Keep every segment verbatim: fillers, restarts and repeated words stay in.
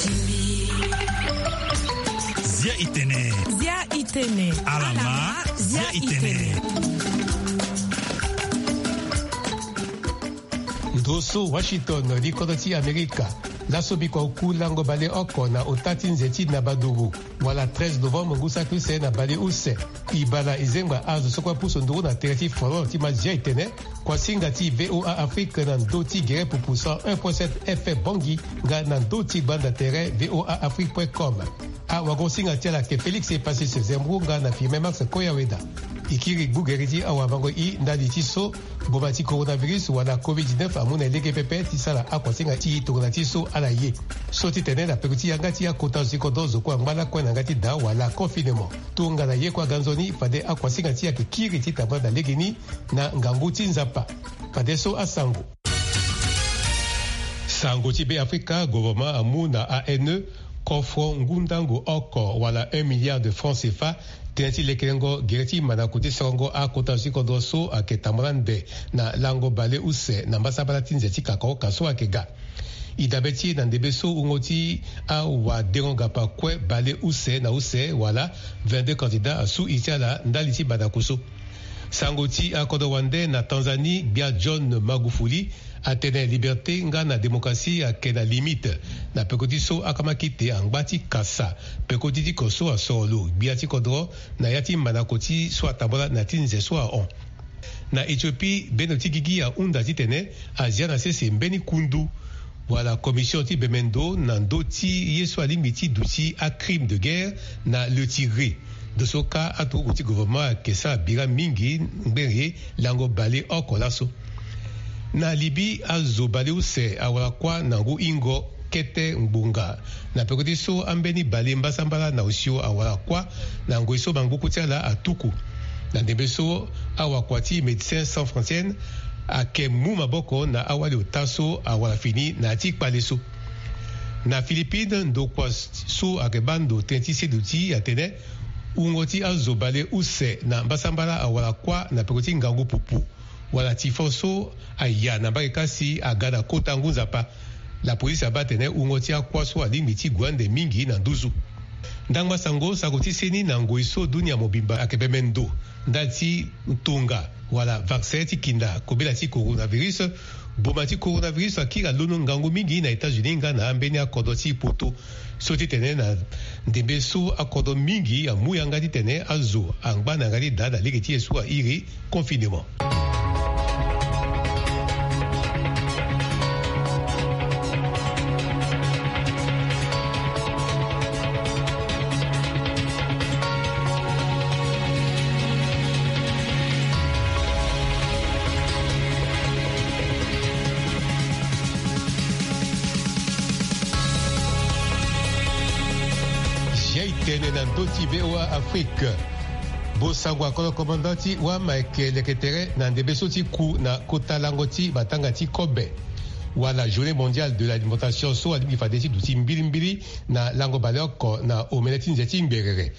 Zia itene. Zia itene. Alama. Zia itene. Ndo so Washington, li kodro ti Amerika. Laso bikua oku lango baleoko na ota ti nze ti Nabaduru, wala treize novembre ngu saki use na bale use. E bala e zengba azo so kue apusu nduru na tere ti folklore ti ma Zia itene. Kuasinga ti VOA Afrique na ndö ti gere pupu cent un point sept F M Bangui, nga na ndö ti gbanda tere VOA Afrique point com. Awagosinga ti ala ayeke Félix Epasis Zembro nga na Firmin Max Koyaweda. E kiri gbu gere ti awamango i ndali ti so boma ti coronavirus wala covid dix-neuf amu na e lege pepe ti sara akuasinga ti tongana ti so ala ye. So ti tene na peko ti yanga ti akota zo ti kodro zo kue angba lakue na yanga ti daa wala confinement. Tongana ye kue aga nzoni, fade akuasinga ti e ayeke kiri ti tambula na legeni na ngangu ti Nzapa. Fadeso asango. Sango ti Beafrika, gouvernement amu na A N E kofro ngu ndango oko wala un milliard de francs C F A, tënë ti lekerengo gere ti mandako ti sorongo akota zo ti kodro so ayeke tambula ande na lango bale use na mbasambala ti nze ti kakaoka so ayeke ga. E dabe ti e na ndembe so wungo ti awadengo-gapa kue bale use na use wala vingt-deux candidats asu iri ti ala ndali ti mandako so. Sango ti akodro wande na Tanzanie, gbia John Magufuli atene liberté nga na démocratie ayeke na limite. Na peko ti so akamakite angba ti kasa peko ti diko so asoro lo gbia ti kodro na ya ti mandako ti so atambula na ya ti nze so ahon. Na Éthiopie, bendo ti gigi ahunda titene azia na sese mbeni kundu wala commission ti bemendo na ndö ti ye so alingbi ti duti acrime de guerre na le Tigré. Ndo so kâ aturugu ti gouvernement ayeke sara bira mingi ngbene lango baleoko laso. Na Libye, azo baleuse awara kuâ na ngu hingo kete ngbonga. Na peko ti so ambeni bale mbasambala na osio awara kuâ na ngoi so mangbuku ti ala atuku. Na ndembe so awakua ti Médecins Sans Frontières ayeke mu maboko na awali ota so awara fini na ya ti kpale so. Na Philippines, ndokua so ayeke baa ndo tënë ti seduti atene wungo ti azo baleuse na mbasambala awara kuâ na peko ti ngangu pupu wala tifon so aya na mbage kâ si aga na kota ngu nzapa. Lapolisi abaa atene wungo ti akuâ so alingbi ti gue ande mingi na nduzu. Ndangba sango, sango ti seni na ngoi so dunia mobimba ayeke bembe ndo ndali ti ntonga wala vaccin ti kinda kobela ti coronavirus. Boma ti coronavirus akiri alondo ngangu mingi na États-Unis nga na ambeni akodro ti poto. So titene na ndembe so akodro mingi amu yanga titene azo angba na yanga ti daa na lege ti ye so airi confinement. Zia itene na ndö ti VOA Afrique. Bosango akolo komanda ti wama ayeke leke tere na ndembe so ti ku na kota lango ti matanga ti kobe wala journée mondiale de l'alimentation so alingbi fade ti duti mbilimbili na lango baleoko na omene ti nze ti ngberere.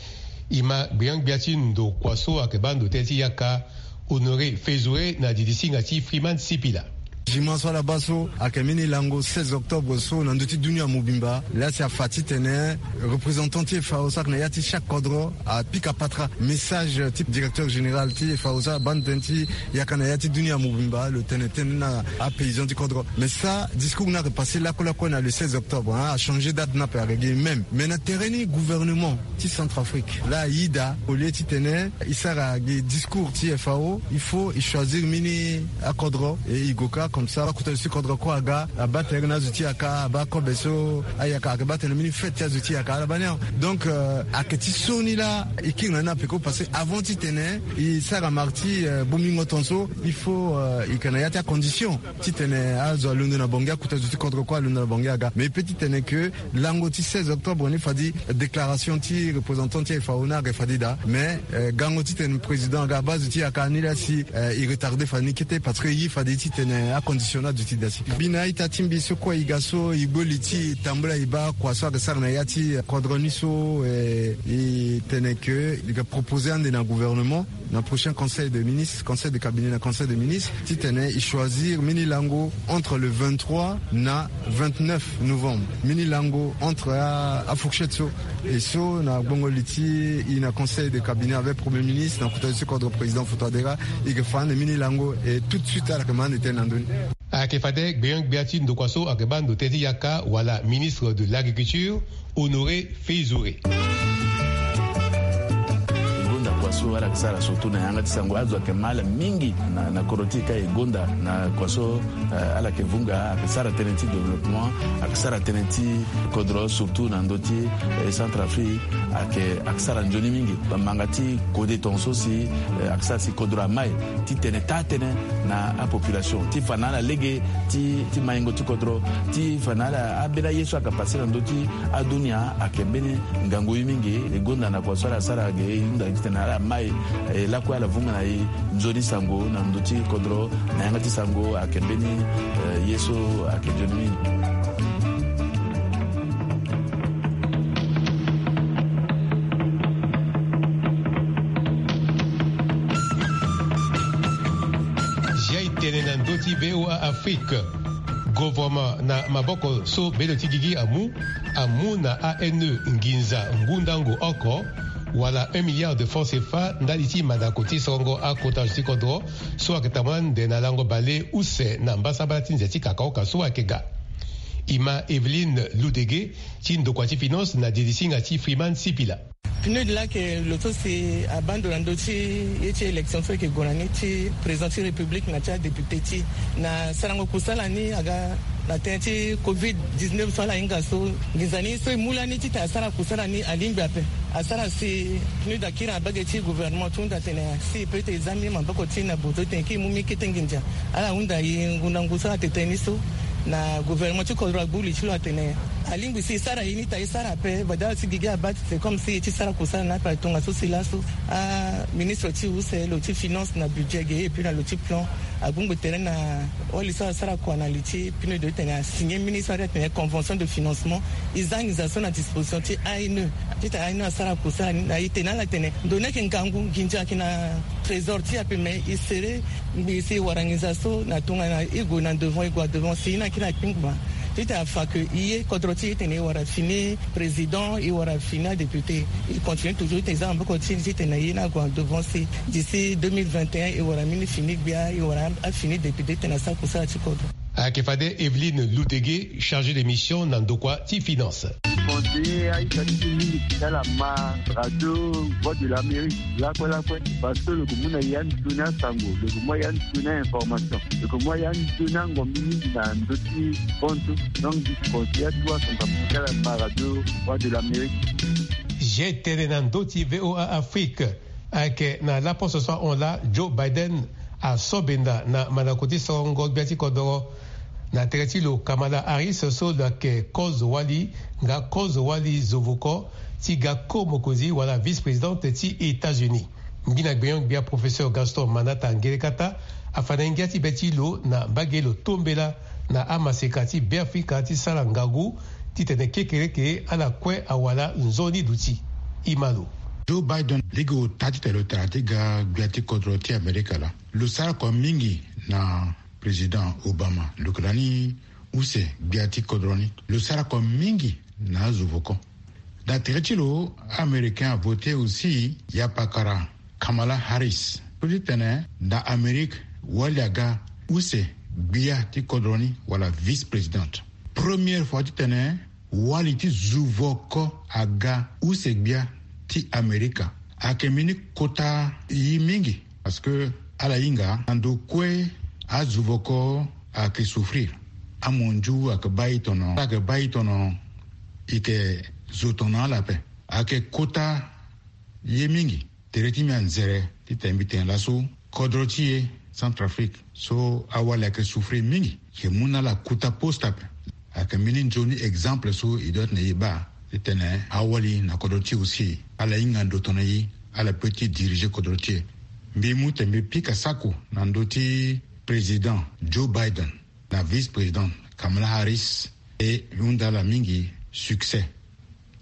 E ma gbiangbia ti ndokua so ayeke baa ndo tënë ti yaka Honoré Fezouré na didi singa ti Freeman Sipila. Jima so ala baa so ayeke mbeni lango seize octobre so na ndö ti dunia mobimba laa si afa titene représentant ti FAO so ayeke na ya ti chaque kodro apika patra message ti directeur général ti FAO so abaa ndo tënë ti yaka na ya ti dunia mobimba lo tene tënë na apaysan ti kodro. Mais ça discours ni ayeke passé lakue lakue na le seize octobre, hein, achangé date ni ape ayeke gi même. Mais na tere ni gouvernement ti Centrafrique laa aye daa au lieu titene e sara gi discours ti FAO, il faut e choisir mbeni akodro e e go kâ comme ça akota zo ti kodro kue aga abaa tere na azo ti yaka abaa kobe so ayaka ayeke baa tene mbeni fête ti azo ti yaka ala baa ni awe. Donc euh, ayeke ti so ni laa e kiri na ni ape ko parce que avant titene e sara marque ti euh, bongbingo tongaso il faut euh, e yeke na ya ti acondition titene azo alondo na Bangui, akota zo ti kodro kue alondo na Bangui aga. Mais e peut titene que lango ti seize octobre ni fade déclaration ti représentant ti FAO ni ayeke fade daa. Mais euh, gango titene président aga abaa zo ti yaka ni laa si euh, e retardé fade ni kete parce que e ye fade titene acondition ni aduti daa si. Mbi na a-ita ti mbi so kue e ga so e gbu li ti e tambula e baa kua so ayeke sara na ya ti kodro ni so euh, e tene que e yeke proposé ande na gouvernement. Na prochain conseil de ministre, conseil de cabinet na conseil de ministre, titene i choisir mini lango entre le vingt-trois na vingt-neuf novembre. Mini lango entre a, a fourchette so. Et so na gbongo liti i na conseil de cabinet avec premier ministre na kota ti kodro président Foutoadera, i ke fane mini lango et tout de suite ala ke mande tene na ndoni. Ayeke fade gbeon gbia ti ndokua so ayeke baa ndo tënë ti yaka wala ministre de l'agriculture, Honoré Feizouré. Gonda kua so ala ke sara surtout na yanga ti sango azo ayeke ma ala mingi na, na kodro ti e ka e gonda na kua so, eh, ala ke vunga ayeke sara tënë ti développement, ayeke sara tënë ti kodro surtout na ndö ti, eh, Centrafrique ayeke, ayeke sara nzoni mingi. Bamanga ti kode tongaso si, eh, ayeke sara si kodro amai titene taa tënë na apopulation ti fa na ala lege ti, ti maingo ti kodro ti fa na ala ambeni aye so ayeke pase na ndö ti adunia ayeke mbeni ngangu ye mingi. E gonda na kua so ala sara ge e hunda titene ala mai e lakue ala vunga na e nzoni sango na ndö ti kodro na yanga ti sango ayeke mbeni, eh, ye so ayeke nzoni mingi. Zia e tene na ndö ti V O A Afrique. Gouvernement na maboko so bendo ti gigi amu, amu na A N E nginza ngu ndango oko, wala un milliard de francs C F A ndali ti mandako ti sorongo akota zo ti kodro so ayeke tambula nde na lango bale use na mbasambala ti nze ti kakaoka so ayeke ga. E ma Evelyne Loudege ti ndokua ti finance na dirisinga ti Freeman Sipila. PNUD laa ayeke lo so si abaa ndo na ndö ti ye ti élection so ayeke gue na ni ti président ti république na ti adéputé ti e. Na sarango kusala ni aga na tënë ti covid dix-neuf so ala hinga so, nginza ni so e mu lani titene asara kusala ni alingbi ape. Asara si PNUD akiri na bage ti gouvernement ti hunda atene si e peut ti e za mbi maboko ti e na bozo titene e kiri mu mbi kete nginza. Ala hunda e ngu na ngu so ala tene tënë ni so. Na gouvernement ti kodro agbu li ti lo atene alingbi si e sara ye ni ta e sara ape. Bada si gigi abaa ti c'est comme si e ti sara kusala na ape. Tongaso si laso aministre ti use, lo ti finance na budget ge, et puis na lo ti plan, agbongbo tere na wali so asara kua na li ti PNUD titene asigner mbeni so atene convention de financement. E za nginza so na disposition ti A N E titene A N E asara kusala ni na e tene ala tene ndo ni ayeke ngangu, nginza ayeke na trésor ti e ape, mais e sere ngbii si e wara nginza so na tongana e gue na devant, e gue na devant si e na kiri na kpingba titene afa ke e ye kodro ti e titene e wara fini président, e wara fini adéputé. E continue toujours titene e za maboko ti e titene e ye ni ague na devant si d'ici deux mille vingt et un e wara mbeni fini gbia, e wara afini député titene asara kusala ti kodro. Ayeke fade Evelyne Loudege, chargée de mission na ndokua ti finance. Conseiller aita ti mingi ti ala ma radio Voix de l'Amérique lakue lakue, parce que lo yeke mu na e anzoni asango, lo yeke mu na e anzoni ainformation, lo yeke mu na e anzoni angombi mingi na ndö ti kontu. Donc conseiller atu asango amu ti ala ma radio Voix de l'Amérique. Zia e tene na ndö ti V O A Afrique. Ayeke na laposo so ahon laa Joe Biden aso benda na mandako ti sorongo gbia ti kodoro na tere ti lo Kamala Harris so lo yeke kozo-wali nga kozo-wali zovoko ti ga ko-mokonzi wala vice-présidente ti États-Unis. Ngbina gbenyo-gbia professeur Gaston Manata Ngelekata afa na e ngia ti be ti lo na mbage lo tombela na amaseka ti Beafrika ti sara ngangu titene kekereke ala kue awara nzoni duti. E ma lo. Joe Biden lege ota titene lo tara ti ga gbia ti kodro ti Amerika laa. Lo sara kua mingi na président Obama, lo yeke lani use gbia ti kodro ni. Lo sara kua mingi na azo voko. Na tere ti lo, Américain avote aussi yapakara Kamala Harris so titene na Amérique wali aga use gbia ti kodro ni wala vice-présidente. Première fois titene wali ti zo voko aga use gbia ti Amerika. Ayeke mbeni kota ye mingi parce que ala hinga na ndo kue azo voko ayeke souffrir. Amonzu ayeke baa e tono, ala yeke baa e tono e yeke zo tono ala ape. Ayeke kota ye mingi. Tere ti mbi anzere titene mbi tene laso kodro ti e Centrafrique so awali ayeke souffrir mingi, e yeke mu na ala kota poste ape. Ayeke mbeni nzoni exemple so e doit tene e baa titene awali na kodro ti e aussi ala hinga ndo tongana e, ala peut ti diriger kodro ti e. Mbi mu tene mbi pika sako na ndö ti président Joe Biden na vice-président Kamala Harris, e hunda ala mingi succès.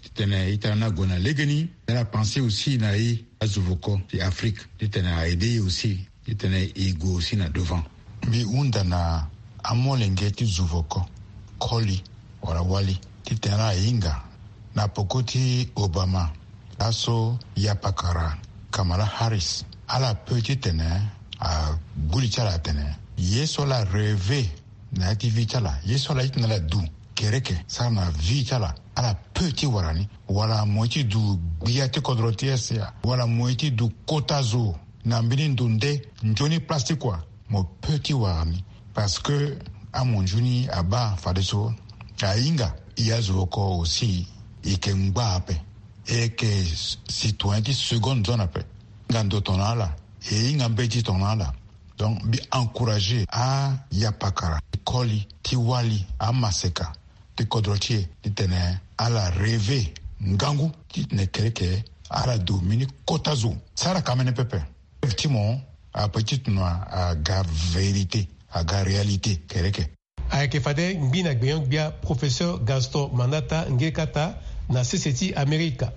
Titene ita ni ague na legeni, ala pense aussi na e Azuvoko ti Afrique titene a aide ye aussi titene e gue aussi na devant. Mbi hunda na amolenge ti zuvoko, koli wala wali, titene ala hinga na poko ti Obama, laso yapakara Kamala Harris, ala pe titene a gbu li ti ala atene ye so ala reve na ya ti vie ti ala, ye so ala ye titene ala du kereke sara na vie ti ala, ala pe ti wara ni, wala mo ye ti du gbia ti kodro ti asia, wala mo ye ti du kota zo na mbeni ndo nde nzoni place ti kua, mo pe ti wara ni. Parce que amonzu ni abaa fadeso ahinga e azo oko aussi, e yeke ngba ape, e yeke citoyen ti seconde zone ape. Nga ndo tongana ala, e hinga mbeti tongana ala. Donc mbi encourager ayapakara ti koli ti wali, amaseka ti kodro ti e titene ala reve ngangu titene kereke ala du mbeni kota zo sara kamene pepe. Rêve ti mo ape ti tuna aga vérité, aga réalité kereke. Ayeke fade ngbi na gbenyo-gbia Professeur Gaston Manata nge kata na sese ti Amerika.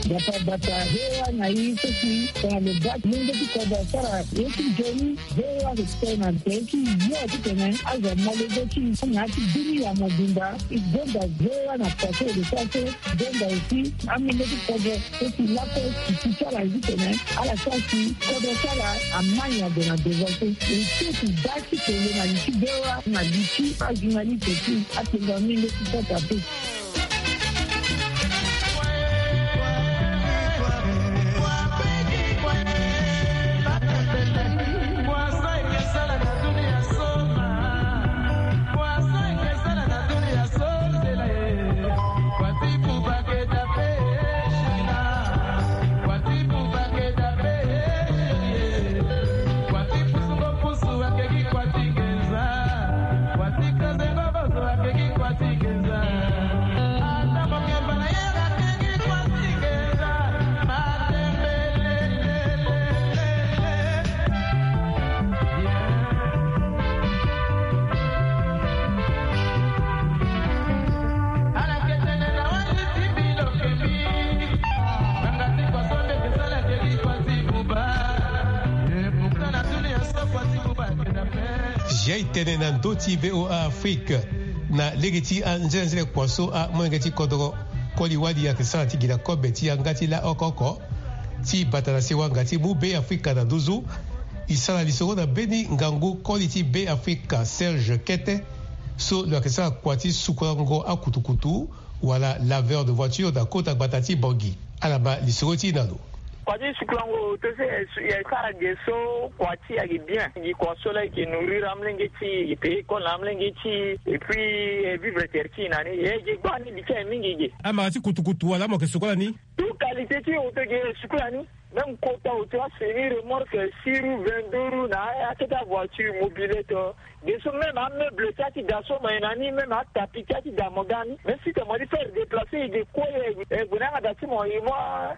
Bata bata, he wa na yi seki tongana lo baa ti mungo ti kodro asara ye ti nzoni. He wa respect na nze ti yo titene azo amolenge ti na ya ti dunia mobimba. E gonda he wa na pase e lo sara so. Gonda aussi amolenge ti kodro so si laso si ti ti ala zi tene ala sara si kodro ti ala amai ague na devant so. E so si baa ti tene na li ti he wa na li ti ajournaliste ti atenga mingi ti sota pe. Zia e tene na ndö ti V O A Afrique. Na lege ti anzenenzele kua so amolenge ti kodro koli wali ayeke sara ti gi na kobe ti yanga ti la oko oko ti bata na sewanga ti mu Be Afrika na nduzu. E sara lisoro na mbeni ngangu koli ti Be Afrika Serge Kete, so lo yeke sara kua ti sukulango akutukutu wala laveur de voiture na kota gbata ti Bangui. Ala ma lisoro ti e na lo. Kua ti sukulango oto so e sara ge so kua ti e ayeke bien. Gi kua so la e yeke nourrir amolenge ti e, e yeke payer école na amolenge ti e, et puis e vivre tere ti e na ni. E ge gbaa ni li ti aye mingi ge. Amara ti kutukutu wala mo yeke sukola ni? Tout qualité ti oto ge e sukola ni. Même kota oto, asemi remorque, six roues, vingt-deux roues na akete avoiture, mobilette. Ge so même ameuble ti ati da so mo ye na ni, même atapi ti ati da mo ga ni. Même si te mo di faire déplacer, e ge kue, e gue na yanga da ti mo, e mu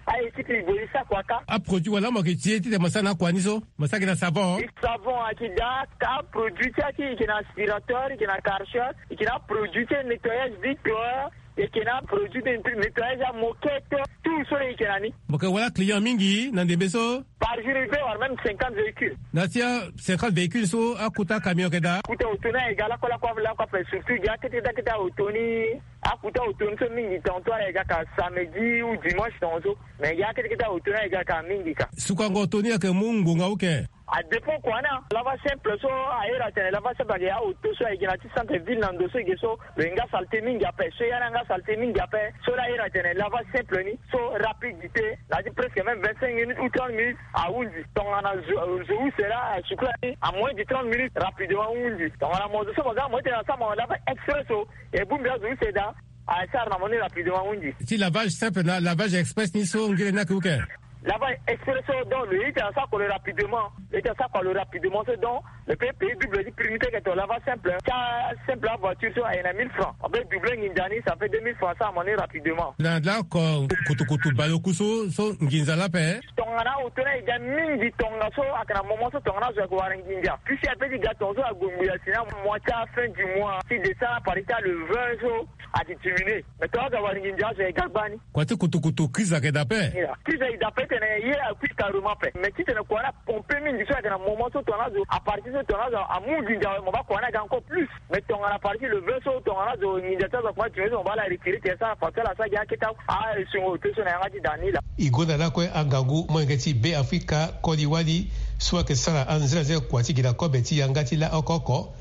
a-équipe, e gue e sa kua kâ. Aproduit wala mo yeke ti e titene mo sara na akua ni so? Mo sara gi na savon? Savon ayeke daa, ka produit ti ati, e yeke na aspirateur, e yeke na karcher, e yeke na produit ti nettoyage vitre, e yeke na produit de nettoyage amoquette, tout so e yeke na ni. Mo yeke wara client mingi na ndembe so? Par jour e peut avoir même cinquante véhicules. Na ti a cinquante véhicules so, akota camion yeke daa? Akota oto ni ayeke ga lakue lakue lakue ape, surtout gi akete akete oto ni. Akota oto ni so mingi, tantôt ala yeke ga ka samedi ou dimanche tongaso. Mais gi akete akete oto ni ayeke ga ka mingi ka. Sukango oto ni ayeke mu ngbonga uke? A dépend kua na lavage simple so, a iri atene lavage simple ayeke ya oto so ayeke na ti centre ville na ndo so e ge so lo ye nga saleté mingi ape, so ya ni anga saleté mingi ape. So la a iri atene lavage simple ni so rapidité, na ya ti presque même vingt-cinq minutes ou trente minutes ahundi. Tongana zo, zo use la, sukola ni, en moins de trente minutes rapidement ahundi. Tongana mo zo so mo ga mo ye tene asara mo lavage express so, e bongbi azo use daa, asara na mo ni rapidement ahundi. Ti lavage simple na lavage express ni so ngere ni ayeke uke? Lava exprès so, donc le hit asako le rapidement. Le hit asako le rapidement so, donc le pays pays double ti prix ni teke to lava simple. Tia simple avoiture so aye na mille francs, abe double nginza ni, ça fait deux mille francs, ça amoni rapidement. Na lako kutukutu baleoku so so nginza lape. Tongana auto ni aye dia mingi, tonga so ayeke na moment so tongana azo ayeke wara nginza, puisque ape ti ga tonga so ague ngbi asi na mois ti afin du mois ti décembre, à partir ti le vingt so ati diminué. Mais tongana azo awara nginza, azo ayeke ga gbani. Kua ti kutukutu crise ayeke daa ape. Crise ayeke daa ape titene ye akui carrément ape. Mais titene kua ni apompe mingi so ayeke na moment so tongana azo, à partir so tongana azo amu nginza awe, mo baa kua ni aga encore plus. Mais tongana à partir le vingt so tongana azo nginza ti azo akoma diminué so, mo baa ala retiré tene so ala fa so ala sara gi akete awe. Ah, e sungo ute so na yanga ti da ni laa. E gonda lakue angangu molenge ti Be Afrika koli wali so ayeke sara anzenzele kua ti gi na kobe ti yanga ti laoko oko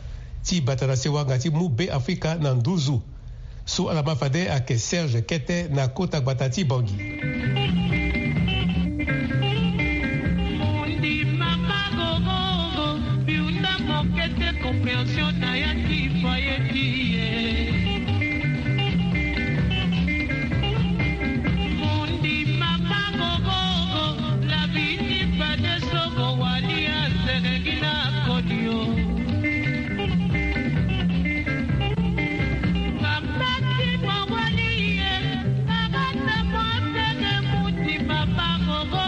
ti bata na sewa nga ti mu Be Afrika na nduzu. So ala ma fade ayeke Serge Kete na kota gbata ti Bangui. Mundi mama gogo, biunda mokete compréhension na ya ti foyer ti ye. Mundi mama gogo, la vie ti fade so mo wali asereki na kodi o. Mama ti mo wali ye, mama na mo tene mundi mama gogo.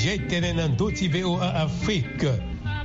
Ye tene na ndö ti V O A Afrique.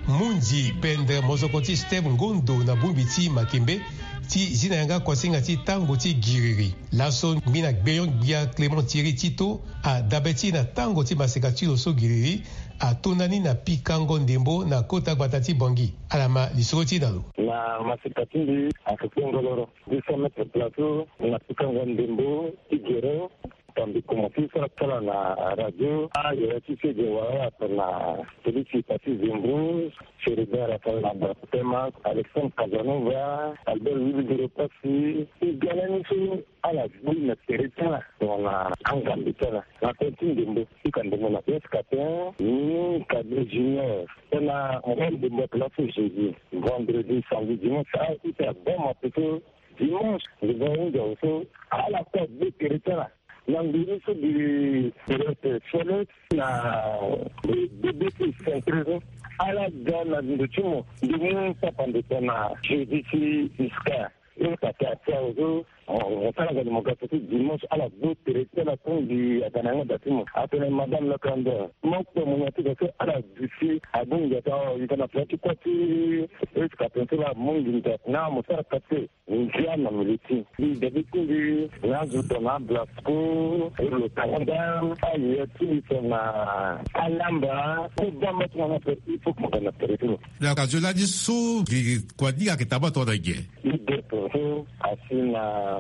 Mundi pendre mozoko ti Steve Ngondo na bongbi ti Makembe ti zi na yanga kuasinga ti tango ti giriri. Laso ngbi na gbeyon gbia Clément Thierry Tito adabe ti na tango ti maseka ti lo so giriri atonda ni na pikango ndembo na kota gbata ti Bangui. Ala ma lisoro ti e na lo. Na maseka ti mbi ayeke kpengoloro deux cents mètres plateau na pikango ndembo ti gere. Tambi komanse sara kala na radio. Ayere ti sege wala ape na polisi pasi Zembro, Chérubin Raphaël Abakutema, Alexandre Casanova, Albert Willy Doro Pasi. E ga lani so ala gbu na tere ti ala tongana angambe ti ala na tënë ti ndembo. Ti ka ndembo na S K T un, ni Cadet Junior. Tena ngoi ndembo ayeke laso jeudi, vendredi, samedi, dimanche, a-ita abaa ma poto dimanche, nze va hunzi awe so ala kue agbe tere ti ala. Na nduru so gi tere ti fele na bebe ti centre so, ala ga na ndo ti mo, ndo mu papa ndo tena jeudi ti iska. Yo kata ti awe so, mo sara ga ni mo ga so ti dimanche, ala gbu tere ti ala kungbi aga na yanga da ti mo. Atene madame le candidat, mo kpe mo nya ti ga so ala duti abongbi ata, o yika na pela ti kua ti escapin so la mo nginda na mo sara kate. Ngia na mili ti mbi dabi ti mbi na azo tongana Blasco, lo tanga da aye ti mbi tongana Alamba, ti bamba ti mo na pe il faut que mo ga na tere ti lo. Donc azo lani so gi kua ni ayeke taa ma tongana nyen? Leader so asi na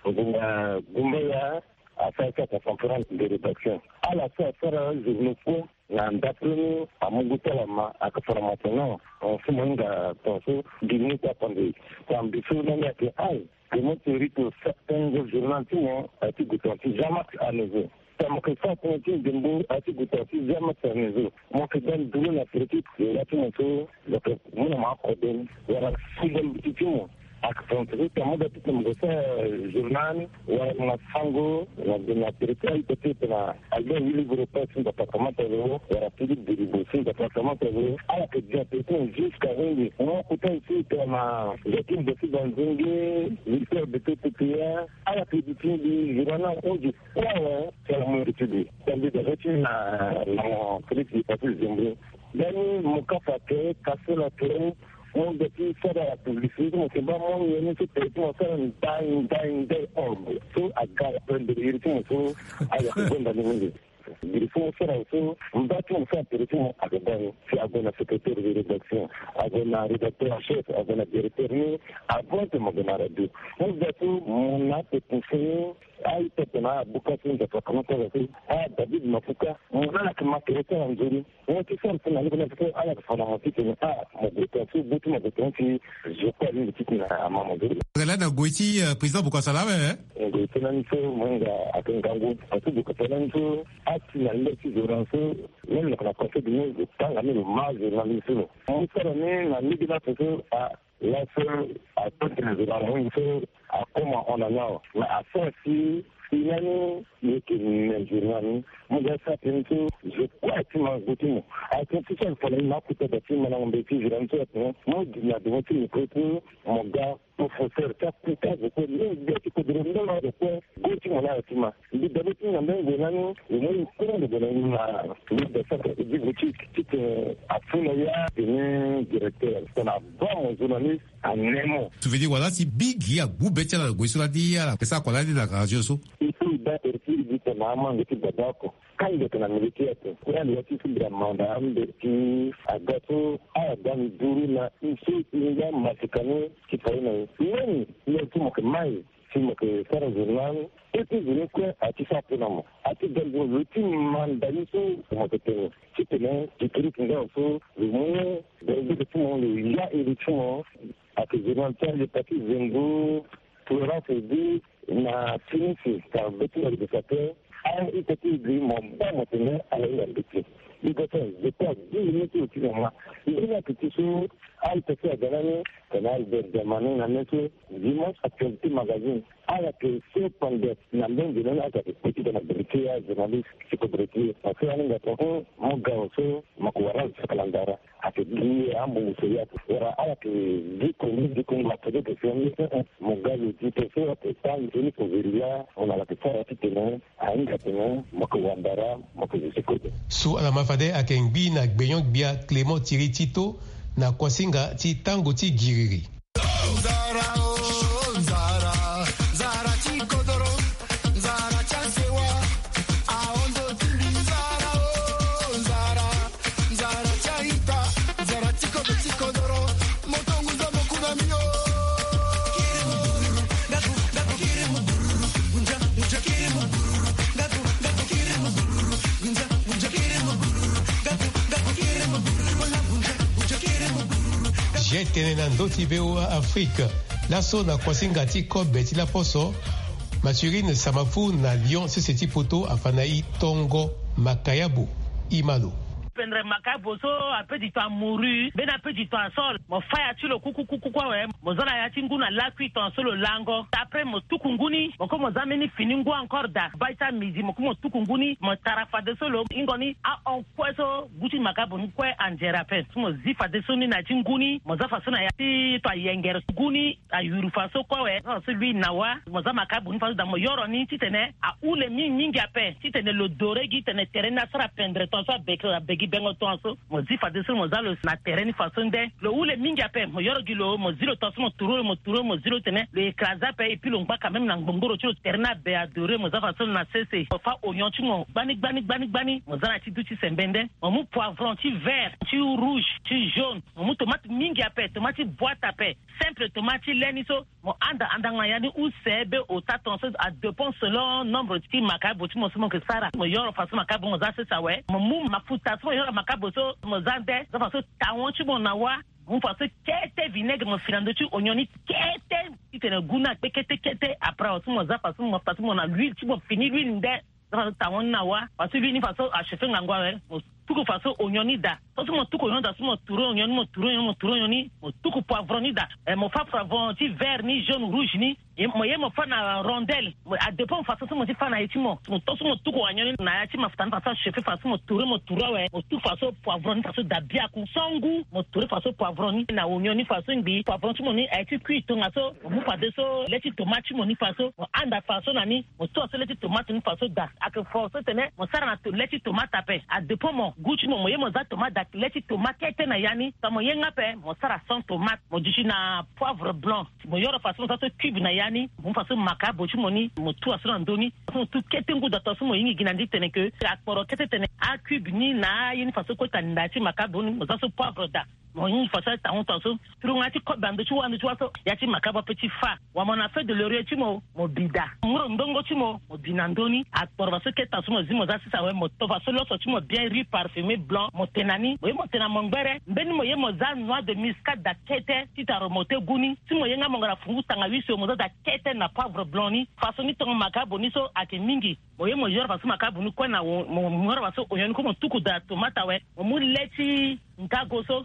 ngonga gumbaya asara ti aconférence de rédaction. Ala so asara journaux kue na ndapre ni amu gu ti ala ma ayeke formation non. Mo so mo hinga tongaso gi ni ti apande. Tambi so lani ayeke ai. Ke mo ti rito sa tengo journal ti mo aye ti gu tonga ti Jean Max Anezo. Tongana mo yeke sara tënë ti ndembo aye ti gu tonga ti Jean Max Anezo, mo yeke ga nduru na tere ti lo la ti mo so lo yeke mu na mo akode ni wala si ga mbi ti ti mo. Ayeke tonga ti tongana mo ga ti tene mo yeke sara journal wala mo na sango na tere ti a-ita ti e tongana Albert Willy Goro Pasi ti département ti lo wala Philippe Delibo ti département ti lo. Ala yeke ga tere ti mo jusqu'à hongbi mo kota e ti tongana Joachim Bossi Banzenge, Victor Beto Tepeya. Ala yeke duti mbi journal hongbi. Kue awe ti ala mu mbi ti mbi. Tambi dabe ti na lango Félix Hippolyte Zembro. Lani mo kapa ake, kasela ake, mo ga ti sara publicité ti mo, ke baa mo nyen ni so tere ti mo asara ndai ndai ndai orbe so aga ape mbele iri ti mo so ayeke gonda ni mingi. Biri so mo sara so mba ti mo so atere ti mo ayeke baa ni si ague na secrétaire de rédaction, ague na rédacteur en chef, ague na directeur ni, avant que mo gue na radio. Mo ga so mo na ape pousse ni. A-ita tongana abuka so nzapa kama ti ala so, a David Mafuka, mo na ala yeke ma tere ti ala nzoni. Mo ti sara so na lege na so ala yeke fa na mo titene a mo gue tonga so gbu ti mo gue tonga ti zo kue alingbi titene ama mo nzoni. Lani na ngoi ti, eh, président Bokassa laa awe, eh? Ngoi ti lani so mo hinga ayeke ngangu. Parce que Bokassa lani so asi na lege ti zo na so même lo yeke na conseil du monde lo tanga ni lo ma zo na ni so lo. Mo sara ni na lege na so so a Laso ato tene zo na mo so akoma hon na ni awe. Mais asara si Ina ni yeke me journal ni. Mo ga sa tene so zo kue ati ma go ti mo. Atene ti so alfana ni ma akuta da ti malango mbe ti journal ni so atene mo gi na devant ti micro ti mo ga professeur ti akuta zo kue ni gbia ti kodoro ndongo zo kue. Go ti mo na ala ti ma mbi dabe ti na mbe ngue na ni. Lo mo ni kuru ndo bona ni ma mbi da sa ko di boutique ti tene afuna ya tene directeur tena bon journaliste. Anemo. Tu veux dire wala si bigi agbu be ti ala na gue so ladi ala pesa ko ladi na radio so. Il faut i baa tertiri gi tena amange ti baba oko. Kande tena miliki ate kura ni ya ti si bira manda ambe ti aga so ala ga ni duru na i so i nga masika ni ti fai na i. Leni i ya ti mo ke mai si mo ke sara journal. Ete zene kue ati sa pe na mo ati ga ni duru lo ti manda ni so mo ke tene ti tene ti kiri ti nga so lo mu. Dere ti mo lo ya iri ti mo. Ake journal ti ande pati zengo. Florence edi na finisi ka be ti na libesa te. Aye ita ti edi mo ba mo tene ala hinga mbeti. Libesa je pas dix minutes au cinéma. Ndenge ake ti so aye ita ti aga nani tene albert diamani na me so dimanche actualité magazine. Ala ke se pande na mbenge nani aka ke kpe ti tena britier ya journaliste ti ko britier parce que aninga tene mo ga so mo ko wara saka na ndara. Ake gi ambongo so ya wala ala ke gi kongo gi kongo ake de ke fi ange. Mo ga lo gi to so ake tangi toni ko veri ya mo na la ke sara ti tene ahinga tene mo ke wandara mo ke zo ti kode. So ala ma fade ake ngbi na gbenyon gbia Clément Thierry Tito na kuasinga ti tango ti giriri. Zia tene na ndö ti V O A Afrique. Laso na kuasinga ti kobe ti laposo, Mathurine Samafu na Lyon sese ti poto afa na i tongo makayabo. I ma lo. Pendre makayabo so ape di to amouru mbeni ape di to asol mo fa ya ti lo kukukuku awe. Mo za na ya ti ngu na lakui tonga so lo lango après mo tuku ngu ni mo ko mo za mbeni fini ngu encore da bai ti amidi mo ko mo tuku ngu ni mo tara fadeso lo hingo ni ahon kue so gu ti makayabo ni kue anzere ape. So mo zi fadeso ni na ya ti ngu ni mo za faso na ya ti to ayengere ngu ni ayuru faso kue awe. Faso lui na wa mo za makayabo ni faso da mo yoro ni titene ahule mingi mingi ape titene lo dore gi tene tere ni asara pendre tonga so abeke abegi bengo tonga so. Mo zi fadeso mo za lo na tere ni faso nde lo hule mingi ape mo yoro gi lo mo zi lo tonga so mo turu lo mo turu lo mo zi lo tene lo écrase ape epui lo ngba quand même na ngbongoro ti lo tere ni abe adore mo za faso lo na sese mo fa oignon ti mo gbani gbani gbani gbani mo za na ti du ti sembe nde. Mo mu poivron ti vert ti rouge ti jaune. Mo mu tomate mingi ape tomate ti boite ape simple tomate ti le ni so. Mo anda andanga na ya ni use be ota tonga so adépend selon nombre ti makayabo ti mo so mo ke sara mo yoro faso makayabo mo za sese awe mo mu mafuta so mo yoro makayabo so mo za nde za faso tawon ti mo na wa. Mo mu faso kete vinaigre mo fi na ndö ti oignon ni kete titene gu ni akpe kete kete après awe so mo za faso mo faso mo na l'huile ti mo fini l'huile nde. Za faso tawon ni na wa faso l'huile ni faso achauffe ngangu awe mo tuku faso oignon ni da. So so mo tuku oignon da so mo turu oignon ni mo turu oignon ni mo turu oignon ni mo tuku poivron ni da. Mo fa poivron ti vert ni jaune rouge ni mo ye mo fa na rondelle. Adépend faso so mo ti fa na ye ti mo mo to so mo tuku oignon ni na ya ti mafuta ni faso achauffe faso mo turu mo turu awe mo tuku faso poivron ni faso da biaku so ngu mo turu faso poivron ni na oignon ni faso ngbi poivron ti mo ni aye ti kui tongaso. Mo mu fadeso le ti tomate ti mo ni faso mo anda faso na ni. Mo tua so le ti tomate ni faso da ake fo so tene mo sara na le ti tomate ape adépend mo gu ti mo mo ye mo za tomate da le ti tomate kete na ya ni. Ka mo ye nga ape mo sara sans tomate mo duti na poivre blanc. Mo yoro faso mo za so cube na ya ni mo mu faso makayabo ti mo ni mo tua so na ndö ni. Faso mo tu kete ngu da tongaso mo hingi gi na ndi tene ke akporo kete tene acube ni na aye ni faso kue ka nda ya ti makayabo ni mo za so poivre da. Mo hingi faso aye tango tongaso. Turunga ti kobe na ndö ti wa ndö ti wa so ya ti makayabo ape ti fa. Wa mo na feuille de laurier ti mo mo bi da ngoro ndongo ti mo mo bi na ndö ni. Akporo faso kete tongaso mo zi mo za sese awe mo to faso loso ti mo bien riz parfumé blanc mo te na ni mo ye mo te na mo ngbere mbeni mo ye mo za noix de muscade da kete titene aremonte gu ni. Si mo ye nga mo ngara fungu tanga huit so mo za da kete na poivre blanc ni. Faso ni tongo makayabo ni so ake mingi. Mo ye mo yoro faso makayabo ni kue na mo yoro faso oignon ni kue mo tuku da tomate awe mo mu le ti ngago so.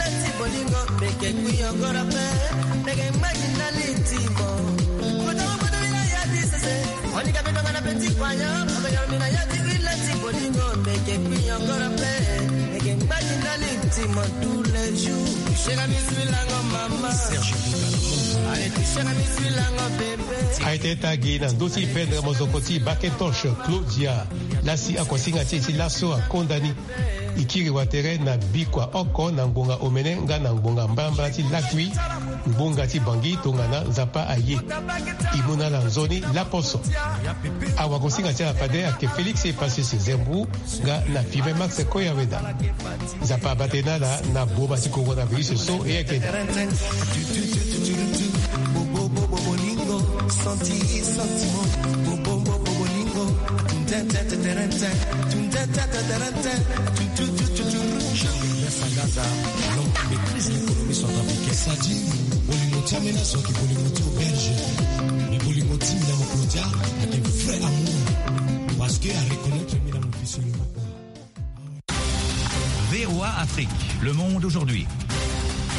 Ilati bolingo meke kui yongoro pe. Meke magi na litimo. Kota mo bodo ila ya di sese. Oni ka bedo ngana petit poignon. Oto yoro mina ya di ilati bolingo meke kui yongoro pe. Kembali na litima tous les jours. Serge Bouga. Allez, serge bisu lango bebe. Aye ti e ta gi na ndö ti pendre mozoko ti Bakentosh Claudia, lasi akuasinga ti e ti laso akonda ni. E kiri watere na bikua oko na ngbonga omene nga na ngbonga mbalambala ti lakui. Ngbonga ti Bangui tongana Nzapa aye. E mu na ala nzoni laposo. Awagosinga ti ala fade ayeke Félix Epasis Zembrou nga na Five Max Koyaweda. Nzapa abate na ala na boma ti coronavirus so e yeke. Sagaza, l'homme qui maîtrise l'économie centrafricaine. Sadi, bolingo ti amena soki bolingo ti auberge. Mais bolingo ti Milan Claudia, avec un vrai amour. Parce que à reconnaître Milan officiellement. V O A Afrique, le monde aujourd'hui.